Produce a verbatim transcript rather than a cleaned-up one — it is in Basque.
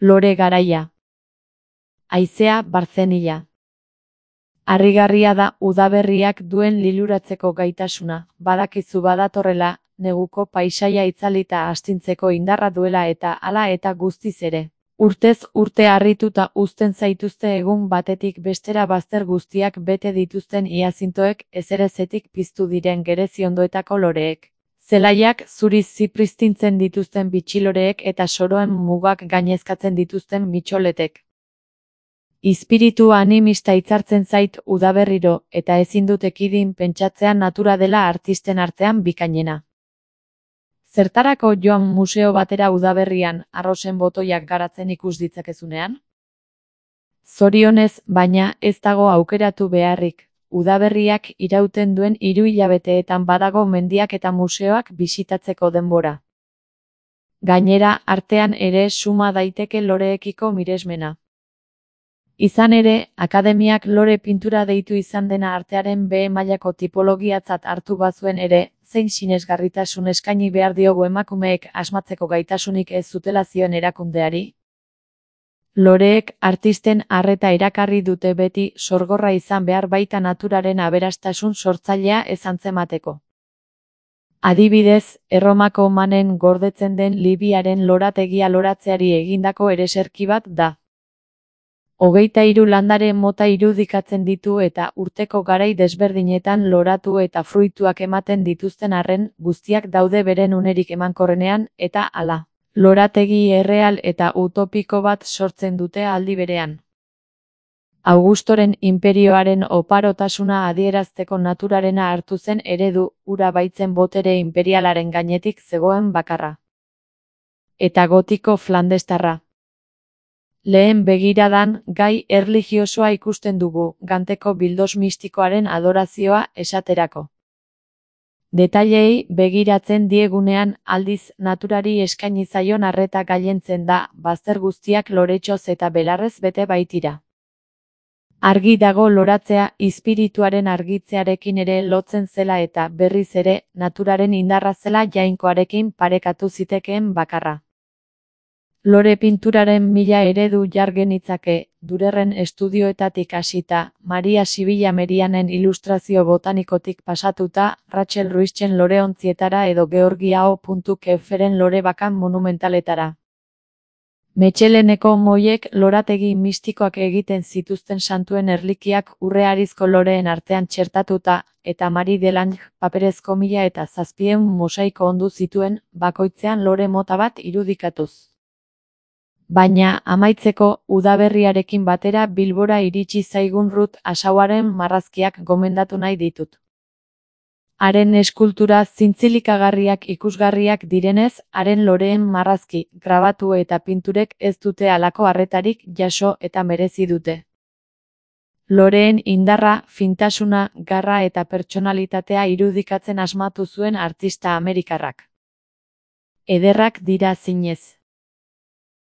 Lore garaia. Haizea barzenila. Harrigarria da udaberriak duen liluratzeko gaitasuna, badakizu badatorrela, neguko paisaia itzalita astintzeko indarra duela eta hala eta guztiz ere. Urtez urte harrituta uzten zaituzte egun batetik bestera bazter guztiak bete dituzten iazintoek ezerezetik piztu diren gereziondoetako loreek. Zelaiak zuriz zipristintzen dituzten bitxiloreek eta soroen mugak gainezkatzen dituzten mitxoletek. Izpiritu animista hitzartzen zait udaberriro eta ezin dut ekidin pentsatzea natura dela artisten artean bikainena. Zertarako joan museo batera udaberrian arrosen botoiak garatzen ikus ditzakezunean? Zorionez, baina ez dago aukeratu beharrik. Udaberriak irauten duen hiru hilabeteetan badago mendiak eta museoak bisitatzeko denbora. Gainera, artean ere suma daiteke loreekiko miresmena. Izan ere, akademiak lore pintura deitu izan dena artearen B mailako tipologiatzat hartu bazuen ere, zein sinesgarritasun eskaini behar diogu emakumeek asmatzeko gaitasunik ez zutela zioen erakundeari? Loreek artisten arreta erakarri dute beti sorgorra izan behar baita naturaren aberastasun sortzailea ez antzemateko. Adibidez, Erromako manen gordetzen den Libiaren lorategia loratzeari egindako ereserki bat da. Hogeita hiru landare mota irudikatzen ditu eta urteko garai desberdinetan loratu eta fruituak ematen dituzten arren guztiak daude beren unerik emankorrenean eta hala. Lorategi erreal eta utopiko bat sortzen dute aldi berean. Augustoren inperioaren oparotasuna adierazteko naturarena hartu zen eredu, hura baitzen botere imperialaren gainetik zegoen bakarra. Eta gotiko flandestarra. Lehen begiradan, gai erlijiosoa ikusten dugu, ganteko bildos mistikoaren adorazioa esaterako. Detailei begiratzen diegunean aldiz naturari eskaini zaion arreta gailentzen da, bazter guztiak loretxoz eta belarrez bete baitira. Argi dago loratzea izpirituaren argitzearekin ere lotzen zela eta berriz ere naturaren indarra zela jainkoarekin parekatu zitekeen bakarra. Lore pinturaren mila eredu jar genitzake, Durerren estudioetatik hasita, Maria Sibila Merianen ilustrazio botanikotik pasatuta, Rachel Ruizen loreontzietara edo Georgiao Keferen lore bakan monumentaletara. Metxeleneko moiek lorategi mistikoak egiten zituzten santuen erlikiak urrearizko loreen artean txertatuta, eta Marie Delange paperezko mila eta zazpien mosaiko ondu zituen, bakoitzean lore mota bat irudikatuz. Baina, amaitzeko, udaberriarekin batera Bilbora iritsi zaigun Rut Asauaren marrazkiak gomendatu nahi ditut. Haren eskultura zintzilikagarriak ikusgarriak direnez, haren loreen marrazki, grabatu eta pinturek ez dute halako arretarik jaso eta merezi dute. Loreen indarra, fintasuna, garra eta pertsonalitatea irudikatzen asmatu zuen artista amerikarrak. Ederrak dira zinez.